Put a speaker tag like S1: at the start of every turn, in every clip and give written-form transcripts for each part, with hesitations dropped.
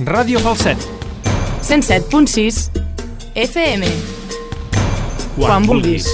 S1: Ràdio Falset.
S2: 107.6 FM. Quan vulguis.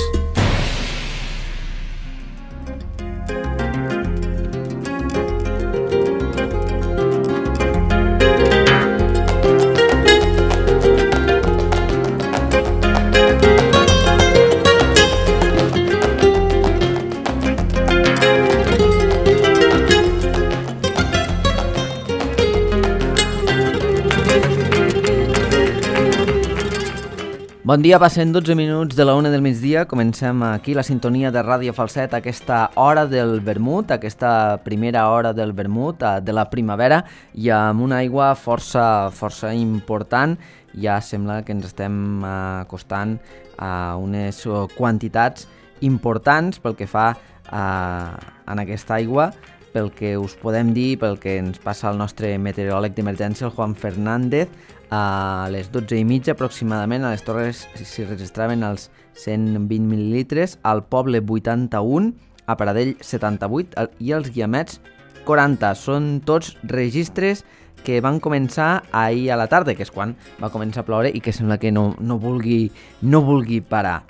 S3: Bon dia, passen 12 minuts de la 1 del migdia. Comencem aquí la sintonia de Ràdio Falset, aquesta hora del vermut, aquesta primera hora del vermut de la primavera, i amb una aigua força important. Ja sembla que ens estem acostant a unes quantitats importants pel que fa en aquesta aigua, pel que us podem dir, pel que ens passa el nostre meteoròleg d'emergència, el Juan Fernández. A les 12:30 aproximadament a les Torres s'hi registraven els 120 mil·lilitres, al Poble 81, a Pradell 78 i als Guiamets 40. Són tots registres que van començar ahir a la tarda, que és quan va començar a ploure i que sembla que no vulgui parar.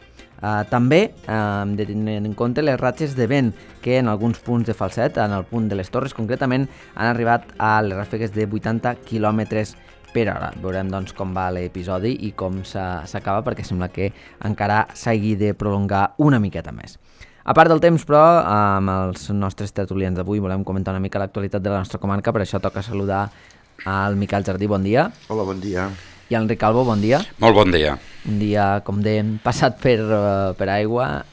S3: També hem de tenir en compte les ratxes de vent que en alguns punts de Falset, en el punt de les Torres concretament, han arribat a les ràfegues de 80 km per hora. Veurem doncs com va l'episodi i com s'acaba, perquè sembla que encara s'hagi de prolongar una miqueta més. A part del temps, però, amb els nostres tertulians d'avui volem comentar una mica l'actualitat de la nostra comarca, per això toca saludar al Miquel Jardí, bon dia.
S4: Hola, bon dia.
S3: I al Enric Calvo, bon dia.
S5: Molt bon dia.
S3: Un dia, com dèiem, passat per aigua.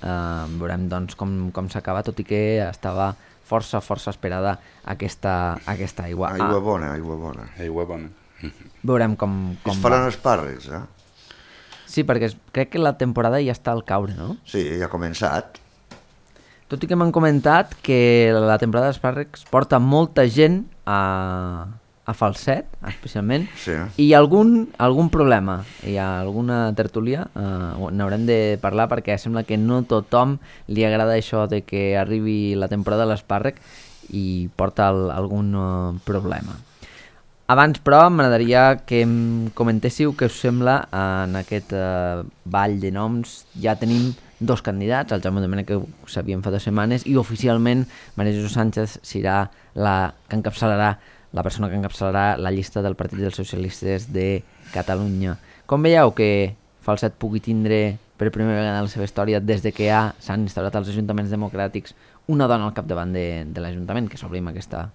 S3: Veurem doncs com s'acaba, tot i que estava força esperada aquesta aigua.
S4: Aigua bona.
S5: Aigua bona.
S3: Veurem com
S4: es faran espàrrecs, eh?
S3: Sí, perquè crec que la temporada ja està al caure, no?
S4: Sí, ja ha començat.
S3: Tot i que m'han comentat que la temporada d'espàrrecs porta molta gent a Falset, especialment,
S4: sí.
S3: I hi ha algun problema, hi ha alguna tertúlia, n'haurem de parlar perquè sembla que no tothom li agrada això de que arribi la temporada de l'espàrrec i porta algun problema. Abans, però, m'agradaria que em comentéssiu què us sembla en aquest ball de noms. Ja tenim dos candidats, el Jaume Domènech, que ho sabíem fa 2 setmanes, i oficialment Maria Jesús Sánchez serà la persona que encapçalarà la llista del Partit dels Socialistes de Catalunya. Com veieu que Falset pugui tindre per primera vegada en la seva història, des de que s'han instaurat els ajuntaments democràtics, una dona al capdavant de l'Ajuntament, que s'obri amb aquesta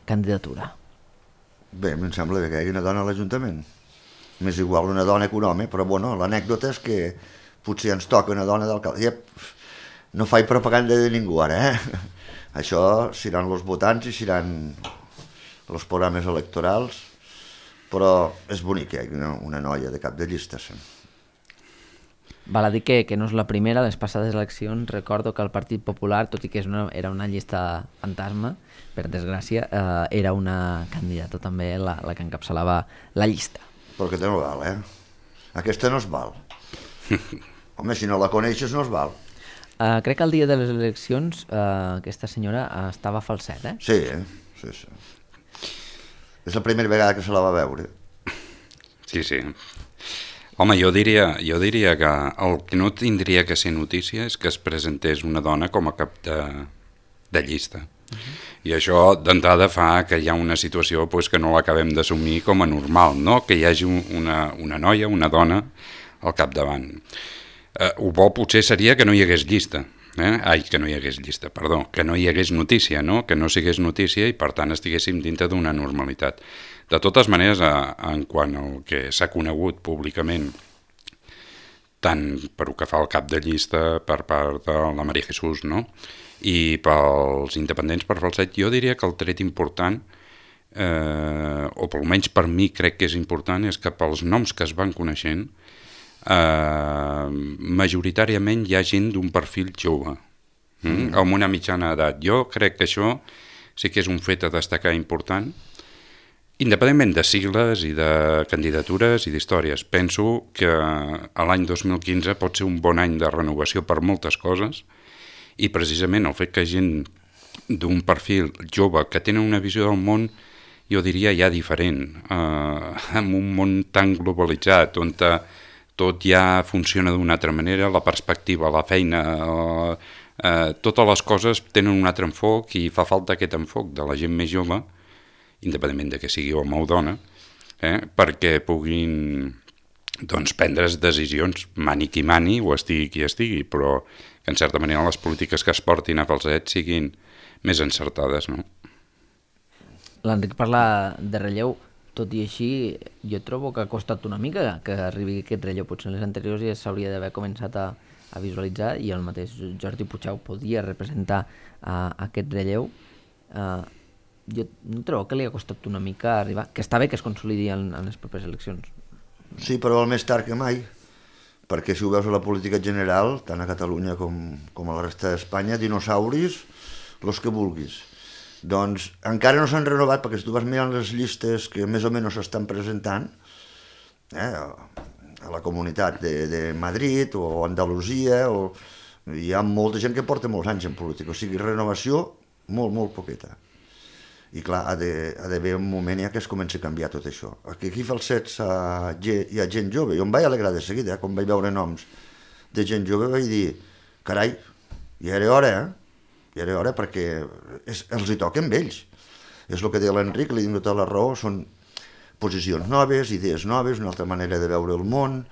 S3: candidatura?
S4: Bé, em sembla bé que hi hagi una dona a l'Ajuntament. M'és igual una dona que un home, però bueno, l'anècdota és que potser ens toca una dona d'alcalde. No faig propaganda de ningú ara, Això seran els votants i seran els programes electorals, però és bonic que hi hagi una noia de cap de llista.
S3: Val a dir que no és la primera. Les passades eleccions recordo que el Partit Popular, tot i que era una llista fantasma, per desgràcia, era una candidata també la que encapçalava la llista.
S4: Però aquesta no val, Aquesta no es val. Home, si no la coneixes no es val.
S3: Crec que el dia de les eleccions aquesta senyora estava a Falset,
S4: Sí. És la primera vegada que se la va veure.
S5: Sí. Home, jo diria que el que no tindria que ser notícia és que es presentés una dona com a cap de llista. I això d'entrada fa que hi ha una situació que no l'acabem d'assumir com a normal, no? Que hi hagi una noia, una dona al capdavant. Ho bo potser seria que no hi hagués llista. Que no hi hagués llista, perdó, que no hi hagués notícia, no? Que no sigués notícia i per tant estiguéssim dintre d'una normalitat. De totes maneres, en quant al que s'ha conegut públicament, tant per que fa el cap de llista per part de la Maria Jesús, no? I pels independents per Falset, jo diria que el tret important, o almenys per mi crec que és important, és que pels noms que es van coneixent, majoritàriament hi ha gent d'un perfil jove, amb una mitjana edat. Jo crec que això sí que és un fet a destacar important, independentment de sigles i de candidatures i d'històries. Penso que l'any 2015 pot ser un bon any de renovació per moltes coses, i precisament el fet que gent d'un perfil jove que tenen una visió del món jo diria ja diferent, en un món tan globalitzat, on tot ja funciona d'una altra manera, la perspectiva, la feina, totes les coses tenen un altre enfoc i fa falta aquest enfoc de la gent més jove, independentment de que sigui home o dona, perquè puguin prendre decisions, mani qui mani o estigui qui estigui, però que en certa manera les polítiques que es portin a Falset siguin més encertades, no?
S3: L'Enric parla de relleu, tot i així jo trobo que ha costat una mica que arribi aquest relleu. Potser en les anteriors ja s'hauria d'haver començat a visualitzar i el mateix Jordi Puigdeu podia representar aquest relleu. Jo no trobo que li ha costat una mica arribar, que està bé que es consolidi en les properes eleccions.
S4: Sí, però el més tard que mai, perquè si ho veus a la política general, tant a Catalunya com a la resta d'Espanya, dinosauris, los que vulguis. Doncs encara no s'han renovat, perquè si tu vas mirant les llistes que més o menys s'estan presentant a la comunitat de Madrid o Andalusia, hi ha molta gent que porta molts anys en política, o sigui, renovació molt, molt poqueta. I clar, ha d'haver un moment ja que es comença a canviar tot això. Aquí a Falset hi ha gent jove, jo em vaig alegrar de seguida, quan vaig veure noms de gent jove vaig dir, carai, ja era hora, ja era hora perquè els hi toca amb ells. És el que deia l'Enric, li dic tota la raó, són posicions noves, idees noves, una altra manera de veure el món.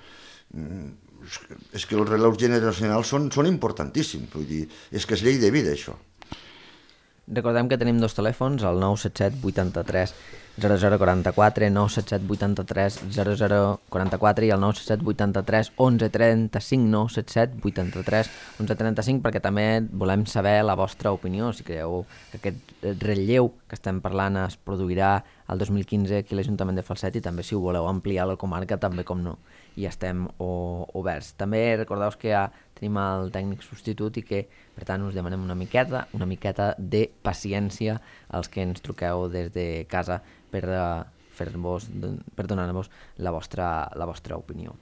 S4: És que els rellevos generacionals són importantíssims, vull dir, és que és llei de vida això.
S3: Recordem que tenim dos telèfons, el 977 83 0044, 977 83 0044 i el 977 83 1135, 977 83 1135, perquè també volem saber la vostra opinió, si creieu que aquest relleu que estem parlant es produirà el 2015 aquí a l'Ajuntament de Falset, i també si ho voleu ampliar a la comarca, també com no, i estem oberts. També recordeu que ja tenim el tècnic substitut i que, per tant, us demanem una miqueta de paciència als que ens truqueu des de casa per donar-vos la vostra opinió.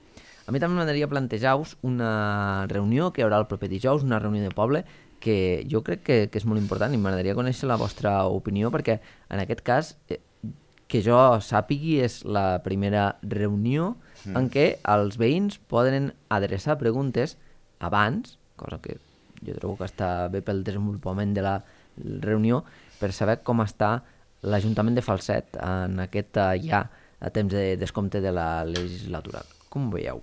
S3: A mi també m'agradaria plantejar-vos una reunió que hi haurà el proper dijous, una reunió de poble, que jo crec que és molt important i m'agradaria conèixer la vostra opinió, perquè en aquest cas, que jo sàpigui, és la primera reunió en què els veïns poden adreçar preguntes abans, cosa que jo trobo que està bé pel desenvolupament de la reunió, per saber com està l'Ajuntament de Falset en aquest ja a temps de descompte de la legislatura. Com ho veieu?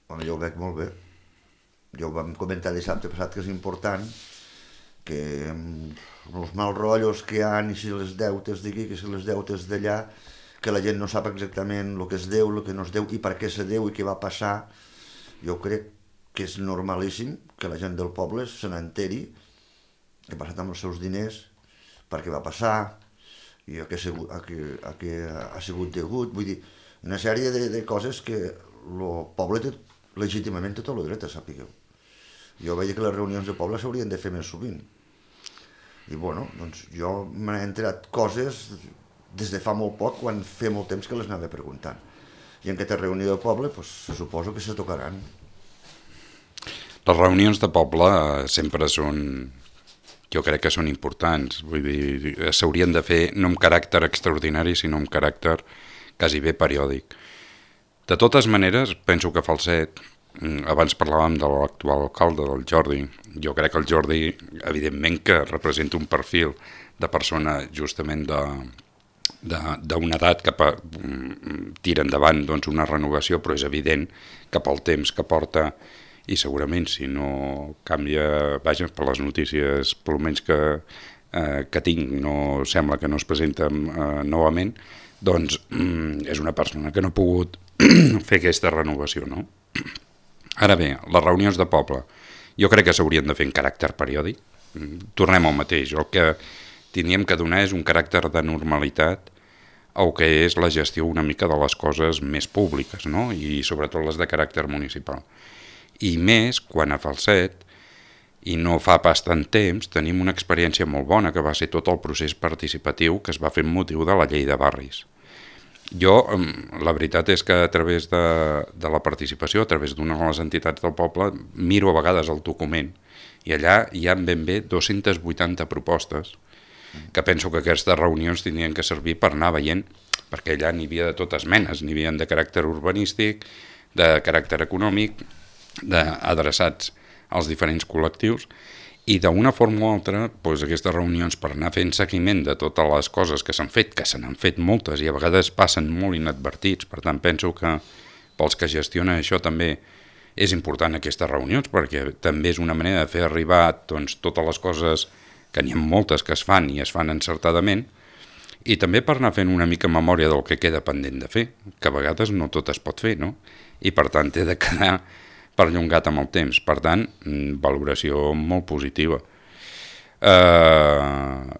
S4: Bueno, jo ho veig molt bé. Jo ho vam comentar dissabte passat que és important que els mals rotllos que hi ha, i si les deutes d'aquí, que si les deutes d'allà, que la gent no sap exactament el que es deu, el que no es deu i per què se deu i què va passar. Jo crec que és normalíssim que la gent del poble se n'enteri què ha passat amb els seus diners, per què va passar i a què ha sigut degut. Vull dir, una sèrie de coses que el poble té legítimament tot el dret a sàpigueu. Jo veia que les reunions de poble s'haurien de fer més sovint. I bueno, doncs jo m'he enterat coses des de fa molt poc, quan feia molt temps que les anava preguntant. I en aquesta reunió de poble, se suposo que se tocaran.
S5: Les reunions de poble sempre són, jo crec que són importants, vull dir, s'haurien de fer no amb caràcter extraordinari, sinó amb caràcter quasi bé periòdic. De totes maneres, penso que Falset, abans parlàvem de l'actual alcalde, del Jordi, jo crec que el Jordi, evidentment que representa un perfil de persona justament d'una edat que tira endavant una renovació, però és evident que pel temps que porta, i segurament si no canvia, vaja, per les notícies per almenys que tinc, no sembla que no es presenta novament, doncs és una persona que no ha pogut fer aquesta renovació, no? Ara bé, les reunions de poble jo crec que s'haurien de fer en caràcter periòdic. Tornem al mateix, el que tindríem que donar és un caràcter de normalitat al que és la gestió una mica de les coses més públiques, no? I sobretot les de caràcter municipal. I més quan a Falset, i no fa pas tant temps, tenim una experiència molt bona, que va ser tot el procés participatiu que es va fer amb motiu de la llei de barris. Jo, la veritat és que a través de la participació, a través d'una de les entitats del poble, miro a vegades el document i allà hi ha ben bé 280 propostes que penso que aquestes reunions tindrien que servir per anar veient, perquè allà n'hi havia de totes menes, n'hi havia de caràcter urbanístic, de caràcter econòmic, adreçats als diferents col·lectius, i d'una forma o altra, doncs, aquestes reunions per anar fent seguiment de totes les coses que s'han fet, que se n'han fet moltes i a vegades passen molt inadvertits, per tant penso que pels que gestionen això també és important aquestes reunions, perquè també és una manera de fer arribar doncs, totes les coses, que n'hi ha moltes que es fan i es fan encertadament, i també per anar fent una mica memòria del que queda pendent de fer, que a vegades no tot es pot fer, no? I per tant té de quedar perllongat amb el temps. Per tant, valoració molt positiva.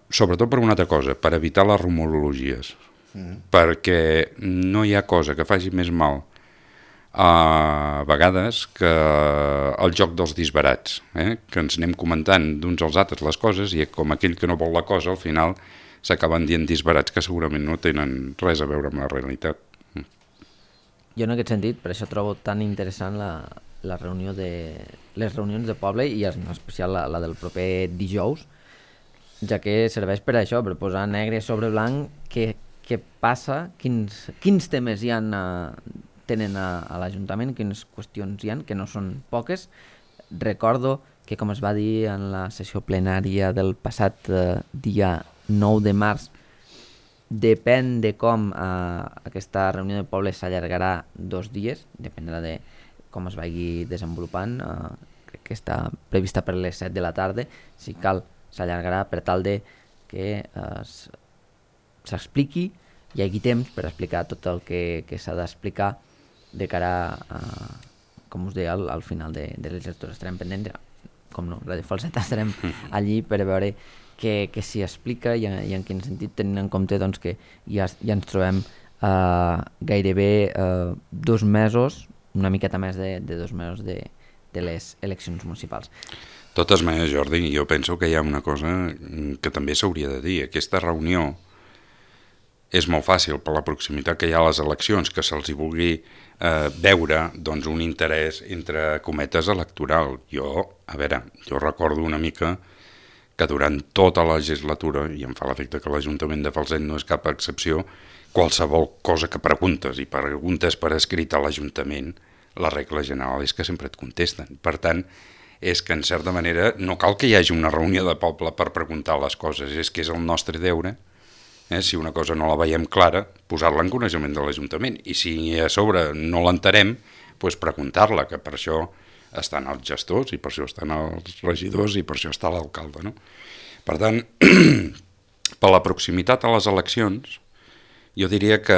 S5: Sobretot per una altra cosa, per evitar les rumorologies, perquè no hi ha cosa que faci més mal a vegades que el joc dels disbarats, que ens anem comentant d'uns als altres les coses i com aquell que no vol la cosa al final s'acaben dient disbarats que segurament no tenen res a veure amb la realitat.
S3: Jo en aquest sentit, per això trobo tan interessant les reunions de poble i en especial la del proper dijous, ja que serveix per això, per posar negre sobre blanc què passa, quins temes hi ha tenen a l'Ajuntament, quines qüestions hi ha, que no són poques. Recordo que, com es va dir en la sessió plenària del passat dia 9 de març, depèn de com aquesta reunió de poble s'allargarà 2 dies, dependrà de com es vagi desenvolupant, crec que està prevista per les 7 de la tarda, si cal s'allargarà per tal de que s'expliqui, hi hagi temps per explicar tot el que s'ha d'explicar de cara a, com us deia, al final de legislatura. Estarem pendents, com no, Radio Falset, estarem allí per veure què s'hi explica i en quin sentit, tenint en compte doncs, que ja ens trobem gairebé 2 mesos, una miqueta més de 2 mesos de les eleccions municipals.
S5: De totes maneres, Jordi, jo penso que hi ha una cosa que també s'hauria de dir. Aquesta reunió és molt fàcil per la proximitat que hi ha a les eleccions, que se'ls hi vulgui veure doncs, un interès entre cometes electoral. Jo recordo una mica que durant tota la legislatura, i em fa l'efecte que l'Ajuntament de Falset no és cap excepció, qualsevol cosa que preguntes i preguntes per escrit a l'Ajuntament, la regla general és que sempre et contesten. Per tant, és que en certa manera no cal que hi hagi una reunió de poble per preguntar les coses, és que és el nostre deure, si una cosa no la veiem clara, posar-la en coneixement de l'Ajuntament, i si a sobre no l'entenem, doncs preguntar-la, que per això estan els gestors i per això estan els regidors i per això està l'alcalde, no? Per tant, per la proximitat a les eleccions, jo diria que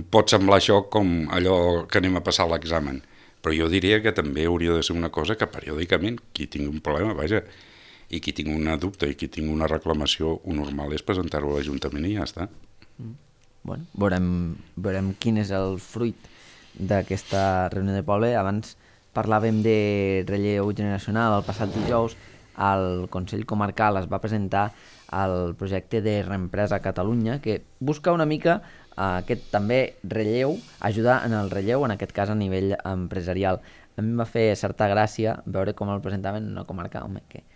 S5: pot semblar això com allò que anem a passar l'examen, però jo diria que també hauria de ser una cosa que periòdicament, qui tingui un problema, vaja, i qui tingui una dubte i qui tingui una reclamació, ho normal és presentar-ho a l'Ajuntament i ja està.
S3: Bueno, veurem quin és el fruit d'aquesta reunió de poble. Abans parlàvem de relleu generacional. El passat dijous al Consell Comarcal es va presentar el projecte de Reempresa a Catalunya, que busca una mica aquest també relleu, ajudar en el relleu, en aquest cas a nivell empresarial. A mi em va fer certa gràcia veure com el presentaven en una comarca, que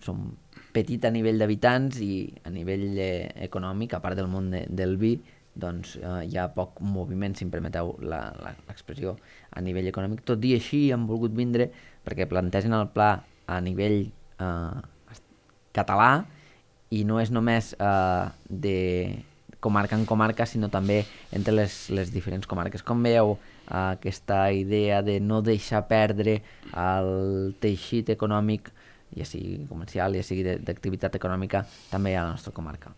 S3: som petit a nivell d'habitants i a nivell econòmic, a part del món del vi, doncs hi ha poc moviment, si em permeteu l'expressió, a nivell econòmic. Tot i així han volgut vindre perquè plantegen el pla a nivell català i no és només de comarca en comarca, sinó també entre les diferents comarques. Com veieu aquesta idea de no deixar perdre el teixit econòmic, ja sigui comercial, ja sigui d'activitat econòmica, també a la nostra comarca?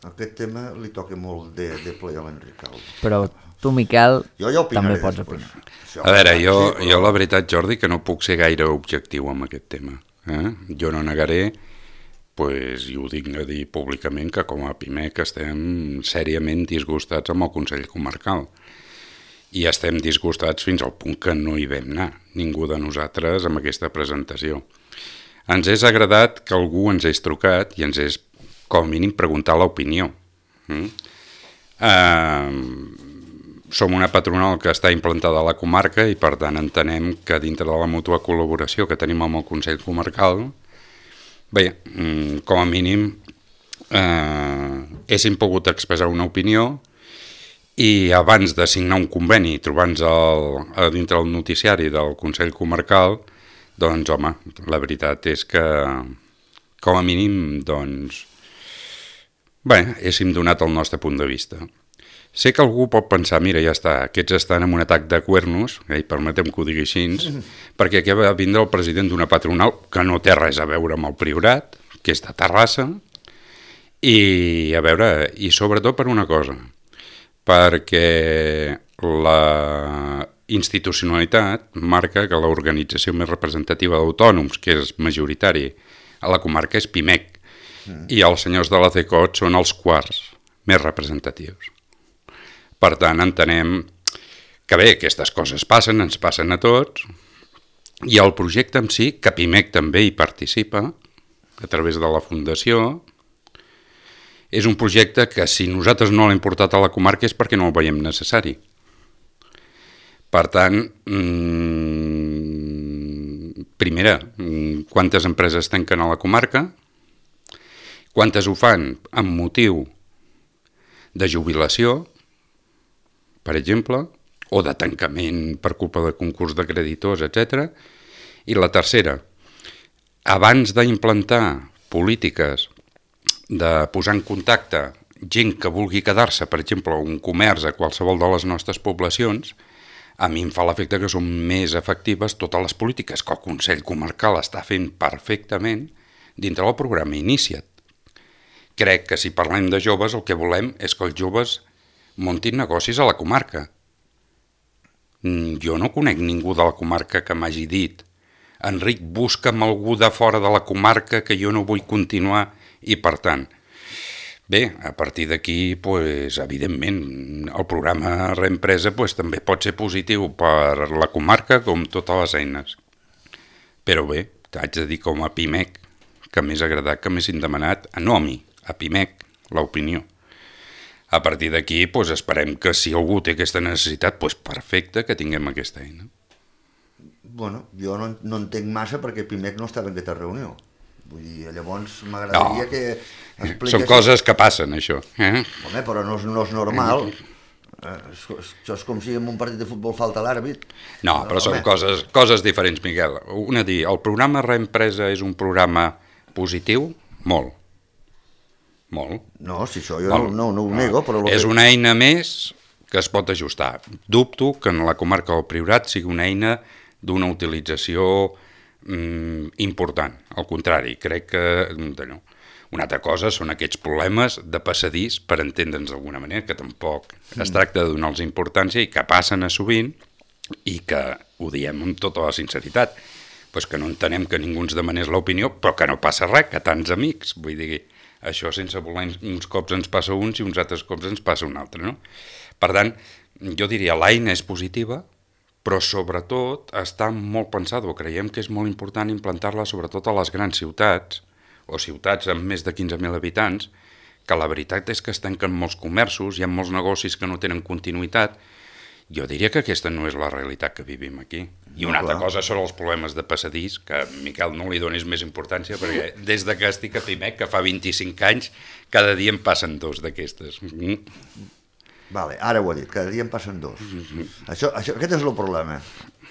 S4: Aquest tema li toca molt de ple a l'Enric Calvo.
S3: Però tu, Miquel,
S4: jo
S3: també pots opinar.
S5: A veure, jo la veritat, Jordi, que no puc ser gaire objectiu amb aquest tema. Jo no negaré, i ho dic a dir públicament, que com a PIMEC estem sèriament disgustats amb el Consell Comarcal. I estem disgustats fins al punt que no hi vam anar, ningú de nosaltres, amb aquesta presentació. Ens és agradat que algú ens hagi trucat i ens és, com a mínim, preguntar l'opinió. Som una patronal que està implantada a la comarca i, per tant, entenem que dintre de la mútua col·laboració que tenim amb el Consell Comarcal, Bé, com a mínim héssim pogut expressar una opinió i abans de signar un conveni trobant-nos dintre el noticiari del Consell Comarcal, doncs home, la veritat és que com a mínim doncs bé, héssim donat el nostre punt de vista. Sé que algú pot pensar, mira, ja està, aquests estan en un atac de cuernos, i permetem que ho digui així, perquè aquí va vindre el president d'una patronal que no té res a veure amb el Priorat, que és de Terrassa, i a veure, i sobretot per una cosa, perquè la institucionalitat marca que l'organització més representativa d'autònoms, que és majoritari a la comarca, és PIMEC, i els senyors de la CECOT són els quarts més representatius. Per tant, entenem que bé, aquestes coses passen, ens passen a tots, i el projecte en si, que PIMEC també hi participa, a través de la Fundació, és un projecte que si nosaltres no l'hem portat a la comarca és perquè no el veiem necessari. Per tant, primera, quantes empreses tanquen a la comarca? Quantes ho fan amb motiu de jubilació, per exemple, o de tancament per culpa de concurs de creditors, etc. I la tercera, abans d'implantar polítiques de posar en contacte gent que vulgui quedar-se, per exemple, un comerç a qualsevol de les nostres poblacions, a mi em fa l'efecte que són més efectives totes les polítiques que el Consell Comarcal està fent perfectament dintre del programa Inicia't. Crec que si parlem de joves el que volem és que els joves muntin negocis a la comarca. Jo no conec ningú de la comarca que m'hagi dit Enric, busca'm algú de fora de la comarca que jo no vull continuar i per tant. Bé, a partir d'aquí, pues, evidentment, el programa Reempresa pues, també pot ser positiu per la comarca com totes les eines. Però bé, t'haig de dir com a PIMEC que m'és agradat, que m'hessin demanat, no a mi, a PIMEC, l'opinió. A partir d'aquí, pues, esperem que si algú té aquesta necessitat, pues, perfecte que tinguem aquesta eina.
S4: Bueno, jo no entenc massa perquè PIMEC no estava en aquesta reunió. Vull dir, llavors m'agradaria que expliqués...
S5: Són coses que passen, això.
S4: Home, però no és normal. Això és com si en un partit de futbol falta l'àrbit.
S5: No, però són coses diferents, Miquel. Una dir, el programa Reempresa és un programa positiu? Molt. Molt.
S4: No, si això jo no ho nego, però...
S5: És una eina més que es pot ajustar. Dubto que en la comarca del Priorat sigui una eina d'una utilització important. Al contrari, crec que no. Una altra cosa són aquests problemes de passadís, per entendre'ns d'alguna manera, que tampoc es tracta de donar-los importància i que passen a sovint i que ho diem amb tota la sinceritat. Pues que no entenem que ningú ens demanés l'opinió, però que no passa res, que tants amics. Vull dir, això sense voler uns cops ens passa uns i uns altres cops ens passa un altre, no? Per tant, jo diria, l'eina és positiva, però sobretot està molt pensada, creiem que és molt important implantar-la sobretot a les grans ciutats, o ciutats amb més de 15.000 habitants, que la veritat és que es tanquen molts comerços, hi ha molts negocis que no tenen continuïtat. Jo diria que aquesta no és la realitat que vivim aquí. I una altra cosa són els problemes de passadís, que Miquel no li donis més importància, perquè des de que estic a PIMEC, que fa 25 anys, cada dia em passen dos d'aquestes.
S4: Vale, ara ho he dit, cada dia en passen dos. Aquest és el problema,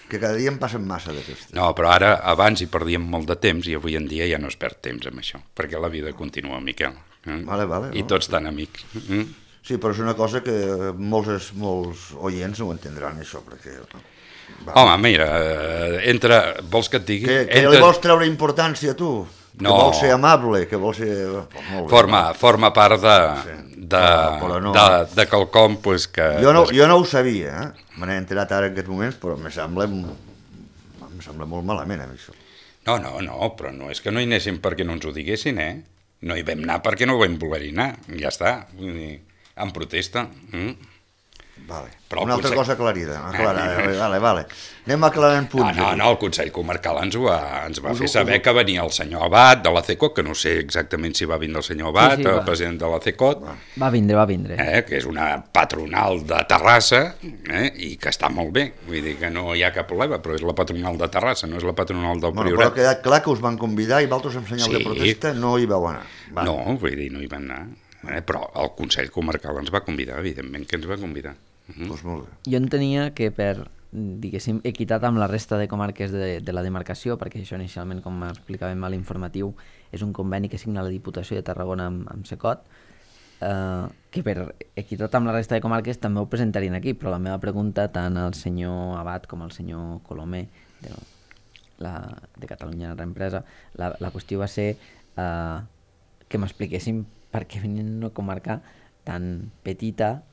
S4: que cada dia en passen massa d'aquestes.
S5: No, però ara, abans hi perdíem molt de temps i avui en dia ja no es perd temps amb això, perquè la vida continua, Miquel.
S4: Vale,
S5: I tots tan amics.
S4: Sí, però és una cosa que molts oients no ho entendran, això, perquè...
S5: Home, mira, vols que et digui...
S4: Que li vols treure importància, tu?
S5: No.
S4: Que vols ser amable, que vols ser...
S5: Forma part de quelcom pues, que...
S4: Jo no ho sabia, me n'he enterat ara en aquests moments, però em sembla molt malament, això.
S5: No, però no és que no hi anéssim perquè no ens ho diguessin, No hi vam anar perquè no vam voler-hi anar, ja està, en protesta.
S4: Vale.
S5: Però
S4: Una altra
S5: potser-
S4: cosa aclarida. Vale. Anem aclarant punts.
S5: No, el Consell Comarcal ens va fer saber que venia el senyor Abad de la CECOT, que no sé exactament si va vindre el senyor Abad,
S3: Sí,
S5: el
S3: va.
S5: president de la CECOT,
S3: Va vindre.
S5: que és una patronal de Terrassa, i que està molt bé, vull dir que no hi ha cap problema, però és la patronal de Terrassa, no és la patronal del
S4: Bueno, però
S5: Priorat.
S4: ha quedat clar que us van convidar i vosaltres en senyal
S5: Sí.
S4: de protesta no hi vau anar. Va.
S5: No, vull dir, no hi van anar. Però el Consell Comarcal ens va convidar, evidentment que ens va convidar.
S4: Doncs molt bé.
S3: Jo entenia que per, diguéssim, equitat amb la resta de comarques de la demarcació, perquè això inicialment, com explicàvem a l'informatiu, és un conveni que signa la Diputació de Tarragona amb SECOT, que per equitat amb la resta de comarques també ho presentarien aquí, però la meva pregunta tant al senyor Abad com al senyor Colomer de Catalunya Reempresa, la qüestió va ser que m'expliquessin per què venien una comarca tan petita,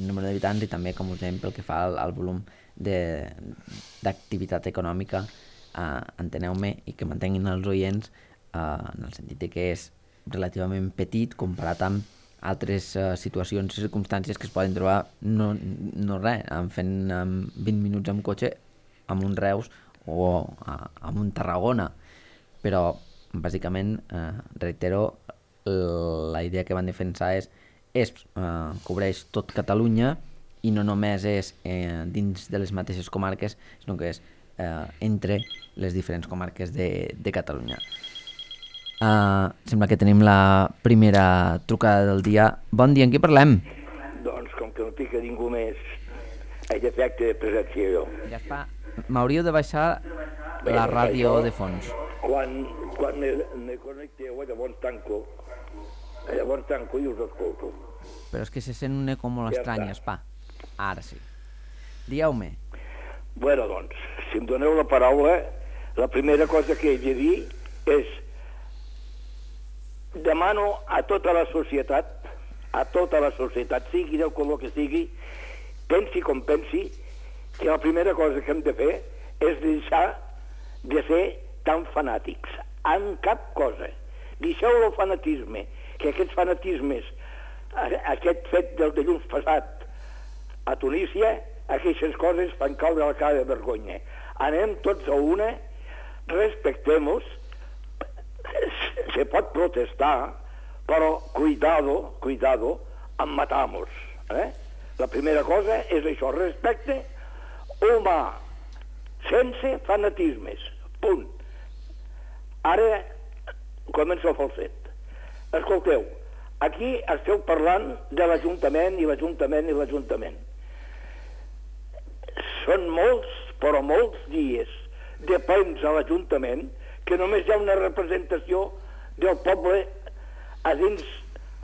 S3: número d'habitants, i també, com us dèiem, pel que fa al volum d'activitat econòmica, enteneu-me, i que mantenguin els oients en el sentit de que és relativament petit comparat amb altres situacions i circumstàncies que es poden trobar no res, fent 20 minuts amb cotxe amb un Reus o amb un Tarragona, però bàsicament, reitero, la idea que van defensar cobreix tot Catalunya i no només és dins de les mateixes comarques, sinó que és entre les diferents comarques de Catalunya. Sembla que tenim la primera trucada del dia. Bon dia, amb qui parlem?
S1: Doncs com que no pica ningú més, he de fer acte de presència jo.
S3: Ja està. M'hauríeu de baixar la ràdio de fons.
S1: Quan me connecteu, llavors tanco i us escolto.
S3: Però és que se sent un eco molt
S1: Ja
S3: estrany,
S1: està.
S3: Espà. Ara sí. Dieu-me.
S1: Bueno, doncs, si em doneu la paraula, la primera cosa que he de dir és demano a tota la societat, sigui del color que sigui, pensi com pensi, que la primera cosa que hem de fer és deixar de ser tan fanàtics en cap cosa. Deixeu el fanatisme, que aquests fanatismes, aquest fet del dilluns passat a Tunísia, aquestes coses fan caure la cara de vergonya. Anem tots a una, respectem-nos, se pot protestar, però cuidado, en matamos. La primera cosa és això, respecte humà, sense fanatismes, punt. Ara comença el falset. Escolteu, aquí esteu parlant de l'Ajuntament i l'Ajuntament. Són molts, però molts dies de plens a l'Ajuntament que només hi ha una representació del poble a dins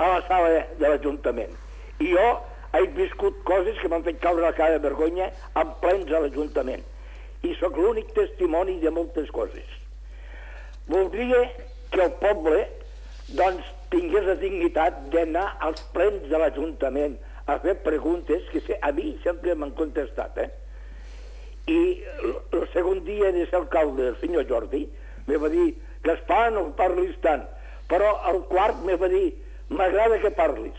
S1: a la sala de l'Ajuntament. I jo he viscut coses que m'han fet caure la cara de vergonya en plens a l'Ajuntament. I sóc l'únic testimoni de moltes coses. Voldria que el poble doncs tingués la dignitat d'anar als plens de l'Ajuntament a fer preguntes que a mi sempre m'han contestat. I el segon dia de ser alcalde, el senyor Jordi, me va dir, Gaspar, no parlis tant, però el quart me va dir, m'agrada que parlis.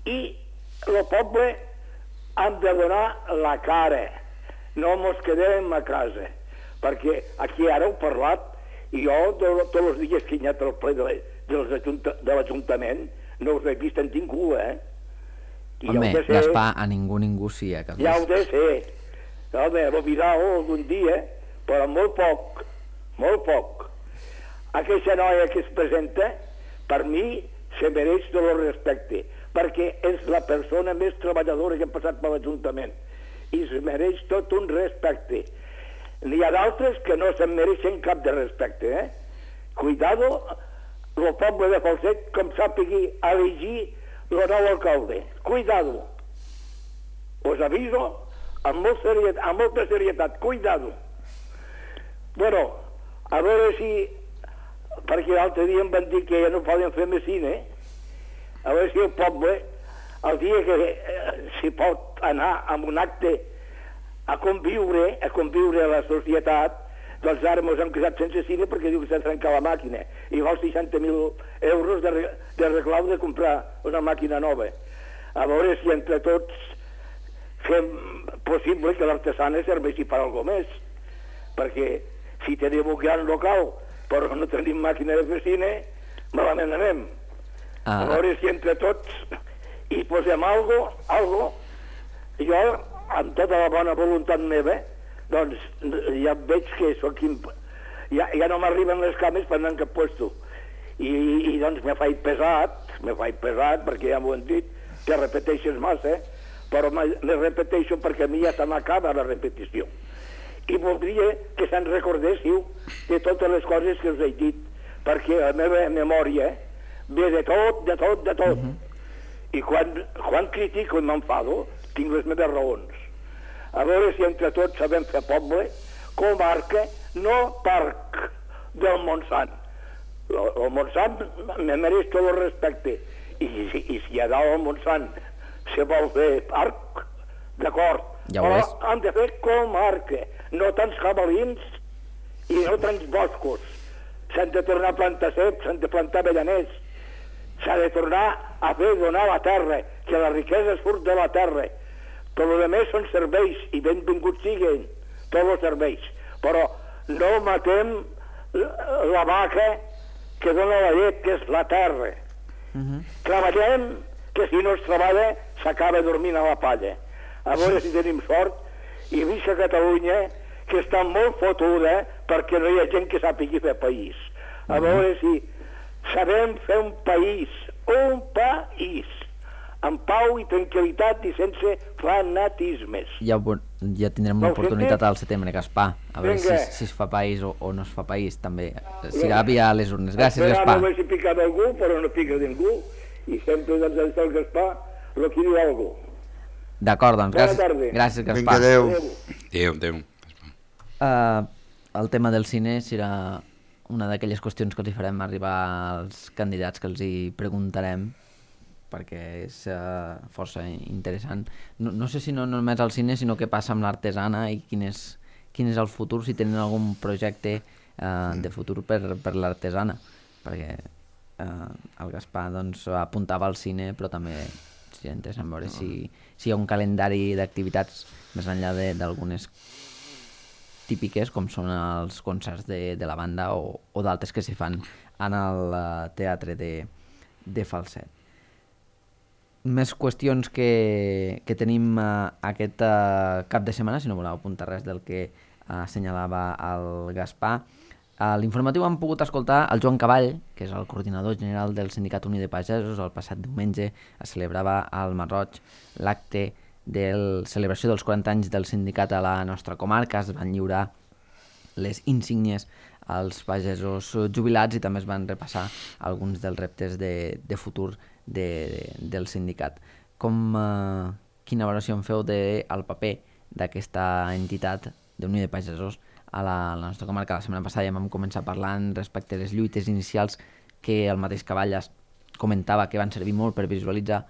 S1: I el poble hem de donar la cara, no mos quedem a casa, perquè aquí ara heu parlat, i jo tots els dies que he anat al ple de l'Ajuntament no us he vist en ningú, I
S3: Home,
S1: ja ho sé,
S3: Gaspar, a ningú sí, a cap
S1: ja ho de ser. Home, lo mirau algun dia, però molt poc. Aquesta noia que es presenta, per mi, se mereix tot el respecte, perquè és la persona més treballadora que ha passat per l'Ajuntament, i se mereix tot un respecte. N'hi ha d'altres que no se'n mereixen cap de respecte, Cuidado, el poble de Falset, com sàpigui elegir el nou alcalde. Cuidado. Us aviso amb molta serietat. Cuidado. Bueno, a veure si... Perquè l'altre dia em van dir que ja no poden fer més cine. A veure si el poble, el dia que s'hi pot anar amb un acte a conviure a la societat, Doncs ara ens hem quedat sense cine perquè diu que s'ha trencat la màquina i val 60.000 euros de reclau de comprar una màquina nova. A veure si entre tots fem possible que l'artesana serveixi per alguna més, perquè si tenim un gran local però no tenim màquina de fer cine, malament anem. A veure si entre tots hi posem algo. Jo, amb tota la bona voluntat meva, doncs ja veig que soc ja no m'arriben les cames per anar en cap puesto. I doncs me faig pesat perquè ja m'ho han dit, que repeteixes massa, però me repeteixo perquè a mi ja se m'acaba la repetició. I voldria que se'n recordéssiu de totes les coses que us he dit, perquè la meva memòria ve de tot. I quan critico i m'enfado, tinc les meves raons. A veure si entre tots sabem fer poble, comarca, no parc del Montsant. El Montsant me mereix tot el respecte. I si a dalt al Montsant se vol fer parc, d'acord, però han de fer comarca, no tants jabalins i no tants boscos. S'han de tornar a plantar ceps, s'han de plantar avellaners, s'ha de tornar a fer donar la terra, que la riquesa surt de la terra. Tot el més són serveis, i benvinguts siguin tots els serveis, però no matem la vaca que dona la llet, que és la terra. Treballem, que si no es treballa s'acaba dormint a la palla. A veure si tenim sort, i visca Catalunya, que està molt fotuda perquè no hi ha gent que sàpigui fer país. A veure si sabem fer un país, amb pau i tranquil·litat i sense fanatismes.
S3: Ja tindrem una oportunitat al setembre, Gaspar, a veure si es fa país o no es fa país, també. Serà via les urnes. Gràcies, Gaspar.
S1: No veig si pica d'algú, però no pica de ningú, i sempre doncs el Gaspar el que diu algú.
S3: D'acord, doncs, gràcies, Gaspar.
S4: Vinga,
S5: adéu.
S3: El tema del cine serà una d'aquelles qüestions que els hi farem arribar als candidats, que els hi preguntarem, perquè és força interessant. No sé si no només al cine, sinó què passa amb l'artesana i quin és el futur, si tenen algun projecte de futur per l'artesana, perquè el Gaspar doncs, apuntava al cine, però també seria interessant veure si hi ha un calendari d'activitats més enllà d'algunes típiques, com són els concerts de la banda o d'altres que s'hi fan en el teatre de Falset. Més qüestions que tenim aquest cap de setmana, si no voleu apuntar res del que assenyalava el Gaspar. A l'informatiu hem pogut escoltar el Joan Cavall, que és el coordinador general del Sindicat Unit de Pagesos. El passat diumenge es celebrava al Masroig l'acte de celebració dels 40 anys del sindicat a la nostra comarca. Es van lliurar les insígnies als pagesos jubilats i també es van repassar alguns dels reptes de futur del sindicat. Quina valoració en feu del paper d'aquesta entitat d'Unió de Pagesos a la nostra comarca? La setmana passada ja vam començar parlant respecte a les lluites inicials que el mateix Cavalles comentava que van servir molt per visualitzar,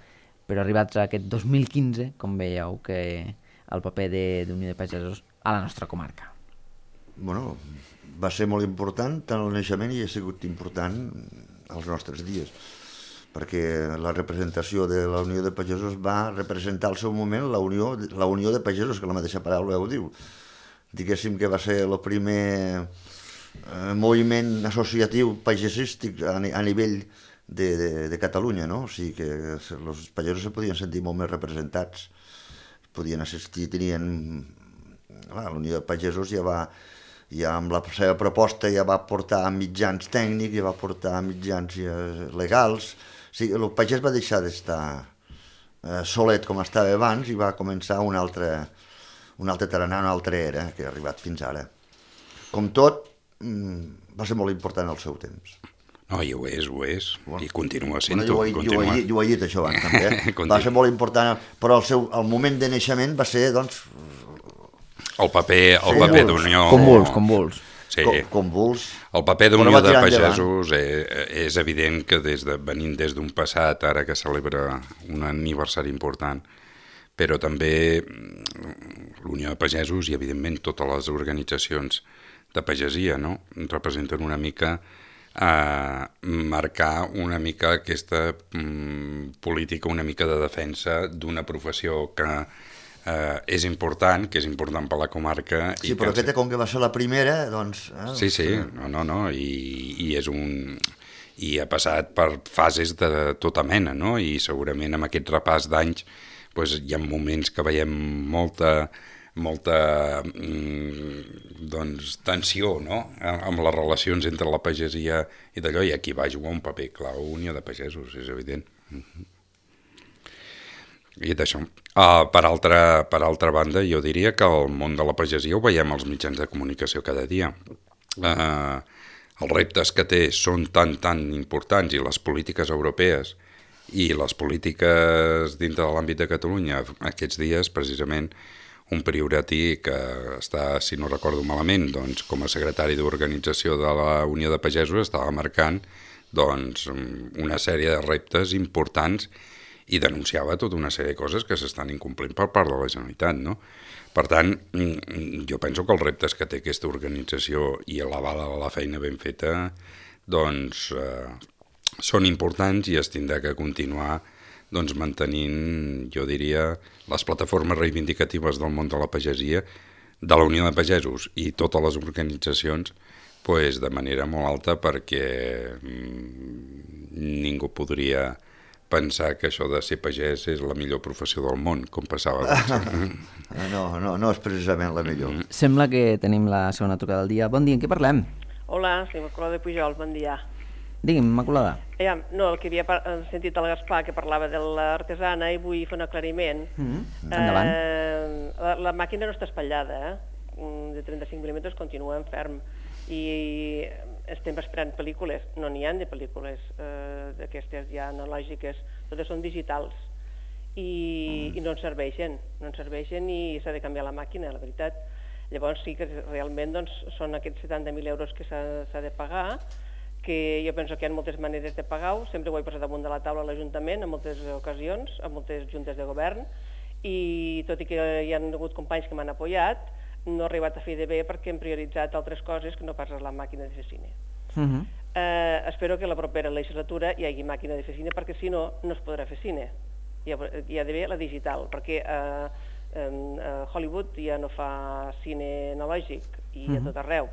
S3: però arribats a aquest 2015, com veieu que el paper d'Unió de Pagesos a la nostra comarca?
S4: Bueno, va ser molt important tant al naixement i ha sigut important als nostres dies, perquè la representació de la Unió de Pagesos va representar al seu moment la Unió de Pagesos, que la mateixa paraula ho diu. Diguéssim que va ser el primer moviment associatiu pagesístic a nivell de Catalunya, no? O sigui que els pagesos se podien sentir molt més representats, podien assistir, tenien... La Unió de Pagesos ja amb la seva proposta ja va portar mitjans tècnics, ja va portar mitjans legals. O sigui, el pagès va deixar d'estar solet com estava abans i va començar un altre tarannà, una altra era que ha arribat fins ara. Com tot, va ser molt important al seu temps.
S5: No, i ho és. Bueno, i continua sent-ho.
S4: Jo ho he dit això abans, també. Va ser molt important, però el moment de naixement va ser, doncs...
S5: El paper d'Unió...
S3: Convuls.
S5: Sí.
S4: Convuls.
S5: El paper d'Unió de Pagesos és evident que venint des d'un passat, ara que celebra un aniversari important, però també l'Unió de Pagesos i, evidentment, totes les organitzacions pagesia, no? Representen una mica marcar una mica aquesta política, una mica de defensa d'una professió que és important per la comarca.
S4: Sí, però aquesta, com que va ser la primera, doncs...
S5: Sí, no, i és un... I ha passat per fases de tota mena, no? I segurament amb aquest repàs d'anys hi ha moments que veiem molta tensió, no? Amb les relacions entre la pagesia i d'allò, i aquí va jugar un paper clau Unió de Pagesos, és evident. I d'això. Per altra banda, jo diria que el món de la pagesia ho veiem als mitjans de comunicació cada dia. Els reptes que té són tan importants, i les polítiques europees i les polítiques dintre de l'àmbit de Catalunya aquests dies, precisament, un priorati que està, si no recordo malament, doncs, com a secretari d'organització de la Unió de Pagesos, estava marcant doncs, una sèrie de reptes importants i denunciava tota una sèrie de coses que s'estan incomplint per part de la Generalitat, no? Per tant, jo penso que els reptes que té aquesta organització i l'aval a la feina ben feta doncs, són importants i es tindrà que continuar doncs, mantenint, jo diria, les plataformes reivindicatives del món de la pagesia, de la Unió de Pagesos i totes les organitzacions pues, de manera molt alta, perquè ningú podria pensar que això de ser pagès és la millor professió del món, com passava.
S4: No és precisament la millor.
S3: Sembla que tenim la segona trucada del dia. Bon dia, en què parlem?
S6: Hola, soy Immaculada de Pujol, bon dia.
S3: Digui'm, Immaculada.
S6: No, el que havia sentit el Gaspar, que parlava de l'artesana, i vull fer un aclariment.
S3: Endavant.
S6: La màquina no està espatllada, de 35 mil·límetres continua en ferm, i estem esperant pel·lícules. No n'hi ha de pel·lícules d'aquestes ja analògiques, totes són digitals, i no ens serveixen i s'ha de canviar la màquina, la veritat. Llavors sí que realment doncs, són aquests 70.000 euros que s'ha de pagar, que jo penso que hi ha moltes maneres de pagar-ho, sempre ho he posat damunt de la taula a l'Ajuntament en moltes ocasions, en moltes juntes de govern, i tot i que hi ha hagut companys que m'han apoyat, no he arribat a fer de bé perquè hem prioritzat altres coses que no pas la màquina de fer cine. Espero que la propera legislatura hi hagi màquina de fer cine, perquè si no, no es podrà fer cine. Hi ha d'haver la digital, perquè Hollywood ja no fa cine analògic, i a tot arreu.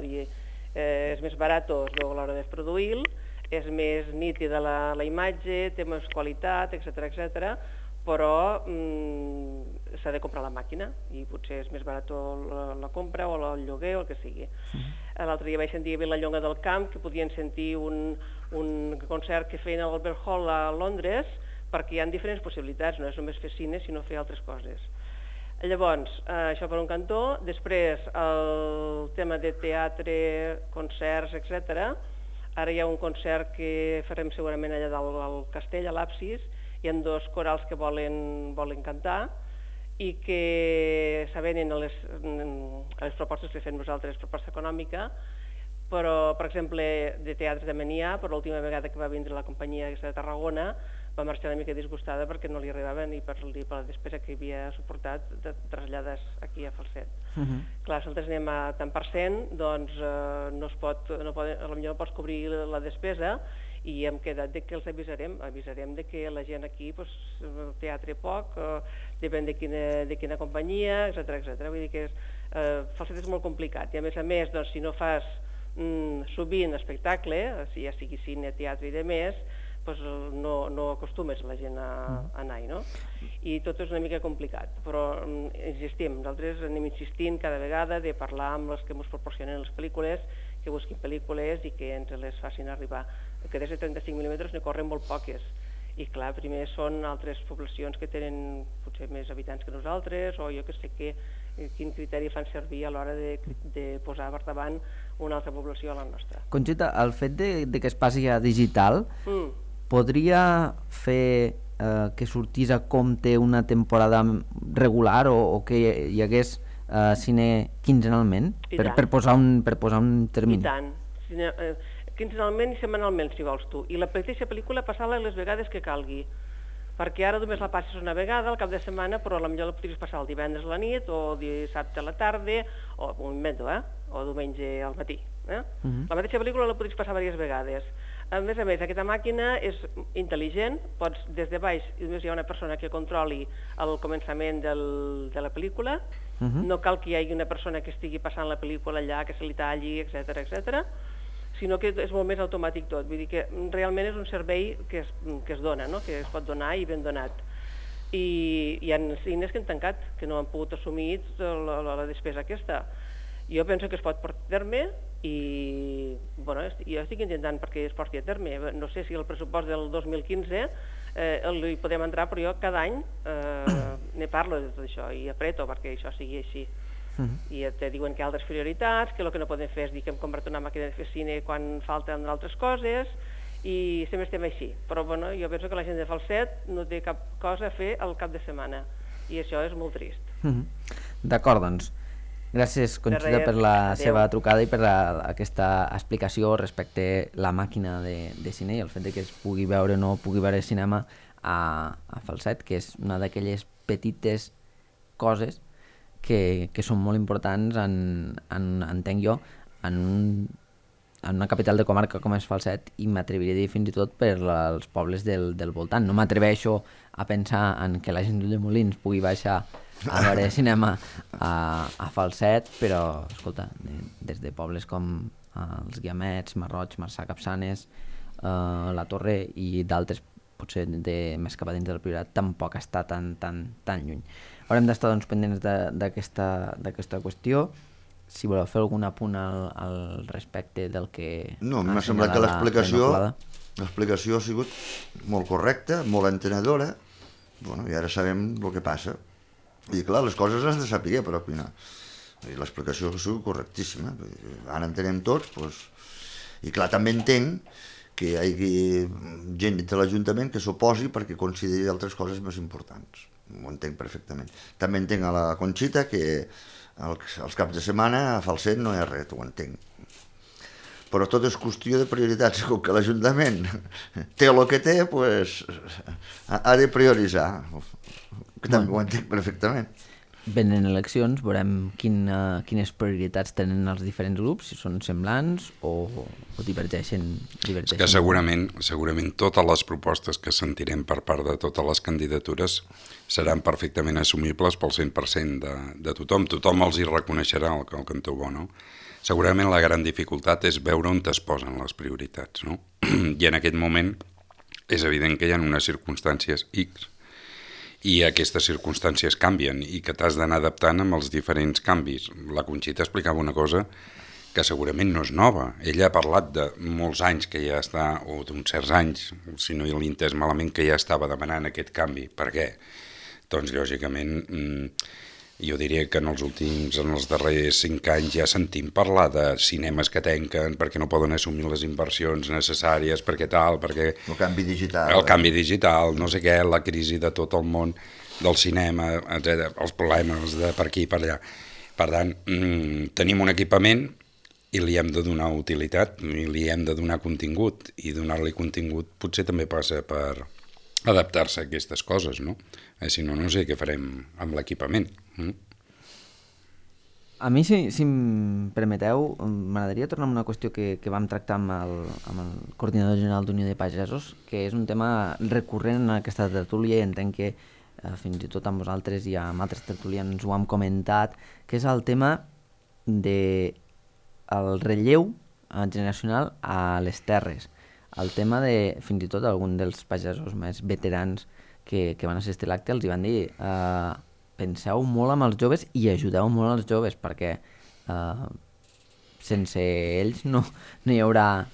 S6: És més barat a l'hora de produir-lo, és més nítida la imatge, té més qualitat, etc., però s'ha de comprar la màquina i potser és més barat la compra o el lloguer o el que sigui. L'altre dia vaig sentir a Vilallonga del Camp que podien sentir un concert que feien a l'Albert Hall a Londres, perquè hi ha diferents possibilitats, no és només fer cine sinó fer altres coses. Llavors, això per un cantó. Després, el tema de teatre, concerts, etc. Ara hi ha un concert que farem segurament allà dalt al castell, a l'Absis. Hi ha 2 corals que volen cantar i que s'avenen a les propostes que fem nosaltres, proposta econòmica, però, per exemple, de teatre també n'hi ha, però l'última vegada que va vindre la companyia aquesta de Tarragona va marxar una mica disgustada perquè no li arribava ni per la despesa que havia suportat de traslladades aquí a Falset. Clar, si nosaltres anem a tant per cent, doncs potser no pots cobrir la despesa, i hem quedat que els avisarem de que la gent aquí, teatre poc, depèn de quina companyia, etc. Vull dir que Falset és molt complicat, i a més, si no fas sovint espectacle, ja sigui cine, teatre i demés, no acostumes la gent a anar-hi, no? I tot és una mica complicat, però insistim, nosaltres anem insistint cada vegada de parlar amb els que ens proporcionen les pel·lícules, que busquin pel·lícules i que ens les facin arribar. Que des de 35 mil·límetres ne corren molt poques, i clar, primer són altres poblacions que tenen potser més habitants que nosaltres, o jo que sé quin criteri fan servir a l'hora de posar per davant una altra població a la nostra.
S3: Conxita, el fet de que es passi a digital podria fer que sortís a compte una temporada regular o que hi hagués cine quinzenalment per posar un termini?
S6: I tant, quinzenalment i setmanalment, si vols tu, i la mateixa pel·lícula passar-la les vegades que calgui, perquè ara només la passes una vegada al cap de setmana, però potser la podries passar el divendres a la nit o dissabte a la tarda, o un invento, o diumenge al matí. La mateixa pel·lícula la podries passar diverses vegades. A més, aquesta màquina és intel·ligent, pots des de baix, només hi ha una persona que controli el començament de la pel·lícula, no cal que hi hagi una persona que estigui passant la pel·lícula allà, que se li talli, etc, sinó que és molt més automàtic tot. Vull dir que realment és un servei que es dona, no? Que es pot donar i ben donat. I hi ha cines que han tancat, que no han pogut assumir la despesa aquesta. Jo penso que es pot portar a terme i jo estic intentant perquè es porti a terme. No sé si el pressupost del 2015 hi podem entrar, però jo cada any ne parlo de tot això i apreto perquè això sigui així. I te diuen que hi ha altres prioritats, que el que no podem fer és dir que hem comprat una màquina de fer cine quan falten altres coses i sempre estem així. Però jo penso que la gent de Falset no té cap cosa a fer al cap de setmana i això és molt trist.
S3: D'acord, doncs. Gràcies, Conxita, per la seva trucada i per aquesta explicació respecte a la màquina de cine i el fet que es pugui veure o no pugui veure cinema a Falset, que és una d'aquelles petites coses que són molt importants, entenc jo, en una capital de comarca com és Falset, i m'atreviria a dir fins i tot per als pobles del voltant. No m'atreveixo a pensar en que la gent de Molins pugui baixar a veure cinema a Falset, però, escolta, des de pobles com els Guiamets, Marroig, Marçà, Capçanes, la Torre i d'altres, potser més cap a dins del Priorat, tampoc està tan lluny. Haurem d'estar doncs, pendents d'aquesta qüestió. Si voleu fer algun apunt al respecte del que...
S4: No, m'ha semblat que l'explicació ha sigut molt correcta, molt entenedora, i ara sabem el que passa. I clar, les coses has de saber per opinar. I l'explicació ha sigut correctíssima. Ara entenem tots, i clar, també entenc que hi hagi gent de l'Ajuntament que s'oposi perquè consideri altres coses més importants. Ho entenc perfectament. També entenc a la Conxita que els caps de setmana a Falset no hi ha res, ho entenc. Però tot és qüestió de prioritats. Com que l'Ajuntament té el que té, ha de prioritzar. Que també ho entenc perfectament.
S3: Venen eleccions, veurem quines prioritats tenen els diferents grups, si són semblants o divergeixen.
S5: És que segurament totes les propostes que sentirem per part de totes les candidatures seran perfectament assumibles pel 100% de tothom. Tothom els hi reconeixerà el cantó bo, no? Segurament la gran dificultat és veure on es posen les prioritats, no? I en aquest moment és evident que hi ha unes circumstàncies X i aquestes circumstàncies canvien i que t'has d'anar adaptant amb els diferents canvis. La Conxita explicava una cosa que segurament no és nova. Ella ha parlat de molts anys que ja està, o d'uns certs anys, si no l'he entès malament, que ja estava demanant aquest canvi. Per què? Doncs, lògicament, jo diria que en els darrers 5 anys ja sentim parlar de cinemes que tanquen perquè no poden assumir les inversions necessàries, perquè tal, perquè...
S4: El canvi digital.
S5: El canvi digital, no sé què, la crisi de tot el món del cinema, etc., els problemes de per aquí i per allà. Per tant, tenim un equipament i li hem de donar utilitat, i li hem de donar contingut, i donar-li contingut potser també passa per adaptar-se a aquestes coses, no? Si no, no sé què farem amb l'equipament.
S3: A mi, si em permeteu, m'agradaria tornar a una qüestió que vam tractar amb el coordinador general d'Unió de Pagesos, que és un tema recurrent en aquesta tertúlia i entenc que fins i tot amb vosaltres i amb altres tertulians ho hem comentat, que és el tema del relleu generacional a les terres. El tema de, fins i tot, algun dels pagesos més veterans que van assistir a l'acte els hi van dir penseu molt amb els joves i ajudeu molt als joves perquè sense ells no hi haurà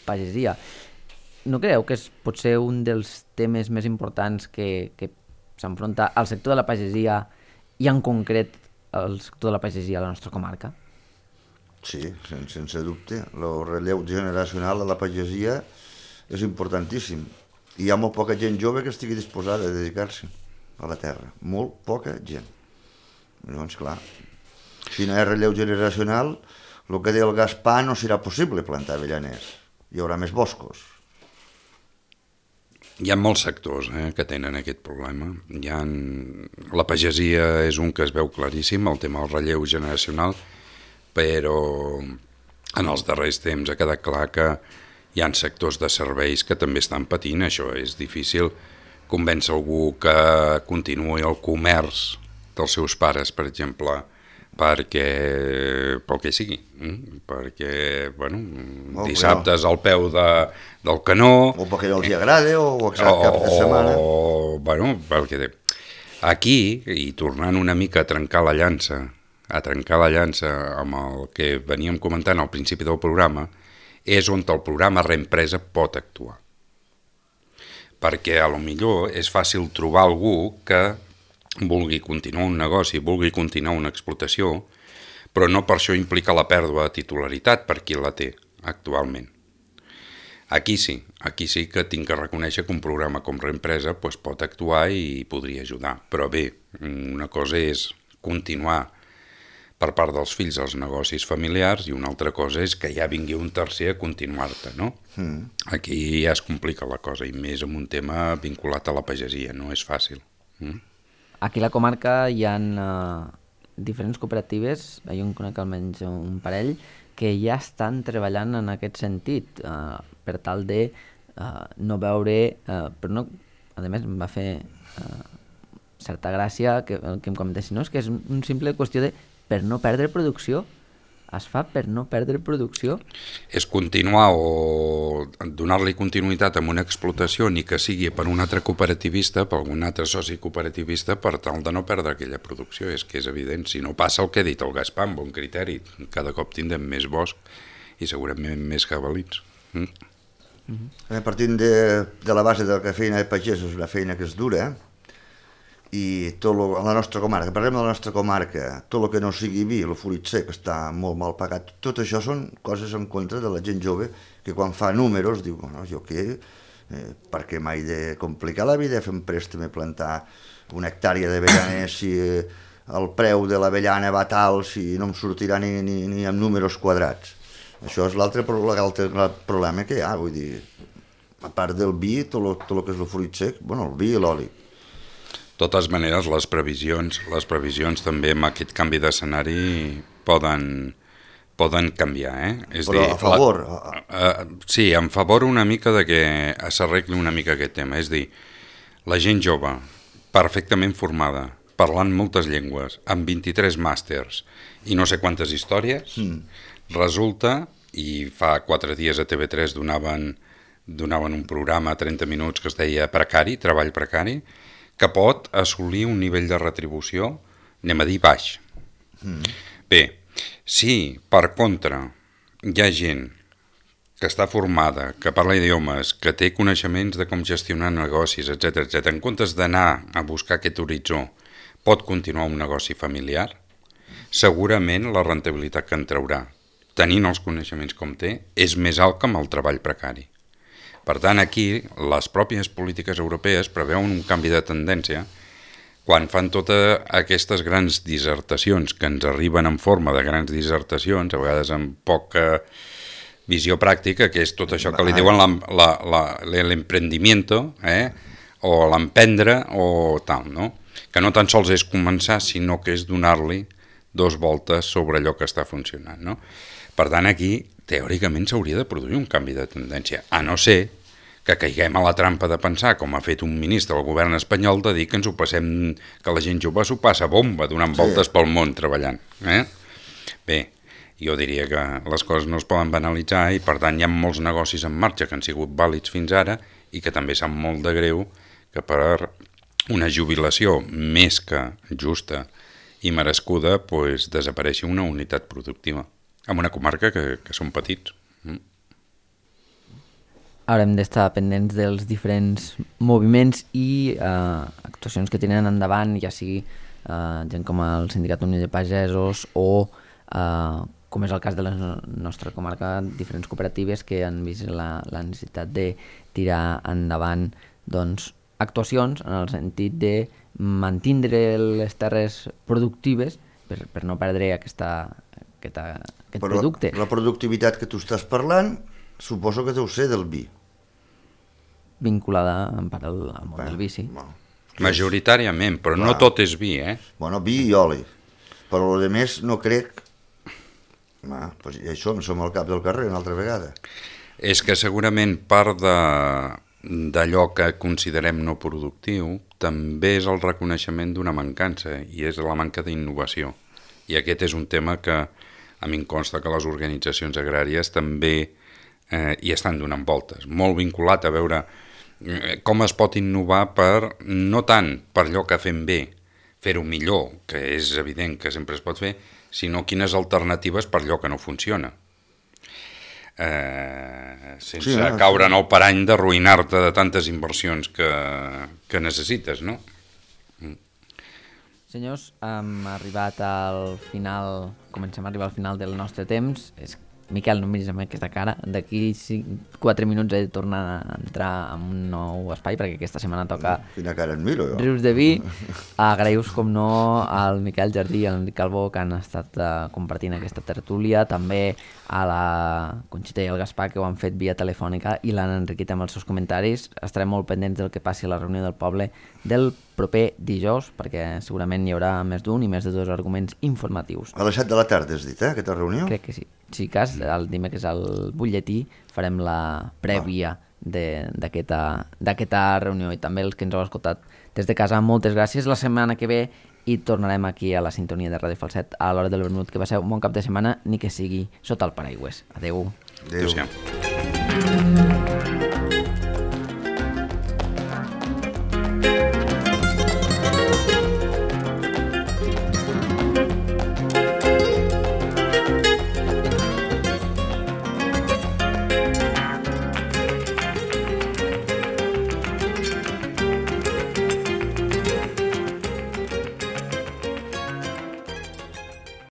S3: pagesia. No creieu que és potser un dels temes més importants que s'enfronta al sector de la pagesia i en concret al sector de la pagesia a la nostra comarca?
S4: Sí, sense dubte. El relleu generacional a la pagesia és importantíssim. Hi ha molt poca gent jove que estigui disposada a dedicar-se a la terra. Molt poca gent. Llavors, clar, si no hi ha relleu generacional, el que deia el Gaspar no serà possible plantar avellaners. Hi haurà més boscos.
S5: Hi ha molts sectors que tenen aquest problema. La pagesia és un que es veu claríssim, el tema del relleu generacional, però en els darrers temps ha quedat clar que hi ha sectors de serveis que també estan patint. Això és difícil convèncer algú que continuï el comerç dels seus pares, per exemple, pel que sigui, perquè, bueno, dissabtes al peu del canó...
S4: O perquè no els agrada, o exacte cap de setmana.
S5: Bueno, perquè aquí, i tornant una mica a trencar la llança amb el que veníem comentant al principi del programa, és on el programa Reempresa pot actuar. Perquè a lo millor és fàcil trobar algú que vulgui continuar un negoci, vulgui continuar una explotació, però no per això implica la pèrdua de titularitat per qui la té actualment. Aquí sí que tinc que reconèixer que un programa com Reempresa pot actuar i podria ajudar. Però bé, una cosa és continuar per part dels fills els negocis familiars i una altra cosa és que ja vingui un tercer a continuar-te, no? Aquí ja es complica la cosa, i més amb un tema vinculat a la pagesia, no és fàcil.
S3: Aquí a la comarca hi ha diferents cooperatives, jo en conec almenys un parell, que ja estan treballant en aquest sentit, per tal de no veure... Però no, a més em va fer certa gràcia que em comentessin, no? És que és un simple qüestió de per no perdre producció. Es fa per no perdre producció?
S5: És continuar o donar-li continuïtat a una explotació, ni que sigui per un altre cooperativista, per algun altre soci cooperativista, per tal de no perdre aquella producció. És que és evident, si no passa el que ha dit el Gaspar, amb bon criteri, cada cop tindrem més bosc i segurament més jabalins.
S4: Partint de la base de que la feina de pagès és una feina que és dura, i a la nostra comarca, parlem de la nostra comarca, tot el que no sigui vi, el fruit sec està molt mal pagat, tot això són coses en contra de la gent jove que quan fa números diu, bueno, jo què, perquè m'he de complicar la vida fent préstec i plantar una hectàrea d'avellaner si el preu de l'avellana va tal, si no em sortirà ni amb números quadrats. Això és l'altre problema que hi ha, vull dir, a part del vi, tot el que és el fruit sec, bueno, el vi i l'oli.
S5: De totes maneres, les previsions també amb aquest canvi d'escenari poden canviar,
S4: Però a favor?
S5: Sí, en favor una mica de que s'arregli una mica aquest tema. És dir, la gent jove, perfectament formada, parlant moltes llengües, amb 23 màsters i no sé quantes històries, resulta, i fa 4 dies a TV3 donaven un programa a 30 minuts que es deia Precari, Treball Precari, que pot assolir un nivell de retribució, anem a dir, baix. Bé, si per contra hi ha gent que està formada, que parla idiomes, que té coneixements de com gestionar negocis, etc., en comptes d'anar a buscar aquest horitzó, pot continuar un negoci familiar, segurament la rendibilitat que en traurà, tenint els coneixements com té, és més alt que amb el treball precari. Per tant, aquí, les pròpies polítiques europees preveuen un canvi de tendència quan fan totes aquestes grans dissertacions que ens arriben en forma de grans dissertacions, a vegades amb poca visió pràctica, que és tot això que li diuen l'emprendimiento, o l'emprendre, o tal, no? Que no tan sols és començar, sinó que és donar-li 2 voltes sobre allò que està funcionant, no? Per tant, aquí, teòricament, s'hauria de produir un canvi de tendència, a no ser que caiguem a la trampa de pensar, com ha fet un ministre del govern espanyol, de dir que ens ho passem, que la gent jove s'ho passa bomba, donant voltes pel món treballant. Bé, jo diria que les coses no es poden banalitzar i per tant hi ha molts negocis en marxa que han sigut vàlids fins ara i que també sap molt de greu que per una jubilació més que justa i merescuda desapareixi una unitat productiva en una comarca que són petits.
S3: Haurem d'estar pendents dels diferents moviments i actuacions que tenen endavant, ja sigui gent com el Sindicat Unió de Pagesos o, com és el cas de la nostra comarca, diferents cooperatives que han vist la necessitat de tirar endavant actuacions en el sentit de mantindre les terres productives per no perdre aquest producte.
S4: Però la productivitat que tu estàs parlant suposo que deu ser del vi.
S3: Vinculada en part al món del vi, sí.
S5: Majoritàriament, però no tot és vi,
S4: Bueno, vi i oli. Però el més no crec Doncs ja hi som al cap del carrer una altra vegada.
S5: És que segurament part d'allò que considerem no productiu també és el reconeixement d'una mancança, i és la manca d'innovació. I aquest és un tema que a mi em consta que les organitzacions agràries també hi estan donant voltes, molt vinculat a veure com es pot innovar no tant per allò que fem bé, fer-ho millor, que és evident que sempre es pot fer, sinó quines alternatives per allò que no funciona. Sense caure en el parany d'arruïnar-te de tantes inversions que necessites, no?
S3: Senyors, hem arribat al final, comencem a arribar al final del nostre temps. Miquel, no em miris amb aquesta cara. D'aquí 4 minuts he de tornar a entrar en un nou espai, perquè aquesta setmana toca
S4: Quina cara et miro, jo.
S3: Rius de Vi. Agraïu-vos, com no, al Miquel Jardí i al Enric Calbó, que han estat compartint aquesta tertúlia, també a la Conxita i al Gaspar, que ho han fet via telefònica i l'han enriquit amb els seus comentaris. Estarem molt pendents del que passi a la reunió del poble del proper dijous, perquè segurament hi haurà més d'un i més de 2 arguments informatius.
S4: A les 7 de la tarda has dit, aquesta reunió?
S3: Crec que sí. Si cas, el dimecres al butlletí farem la prèvia d'aquesta reunió, i també els que ens heu escoltat des de casa, moltes gràcies. La setmana que ve i tornarem aquí a la sintonia de Ràdio Falset a l'hora del vermut. Que passeu un bon cap de setmana, ni que sigui sota el paraigües. Adéu.
S5: Adéu.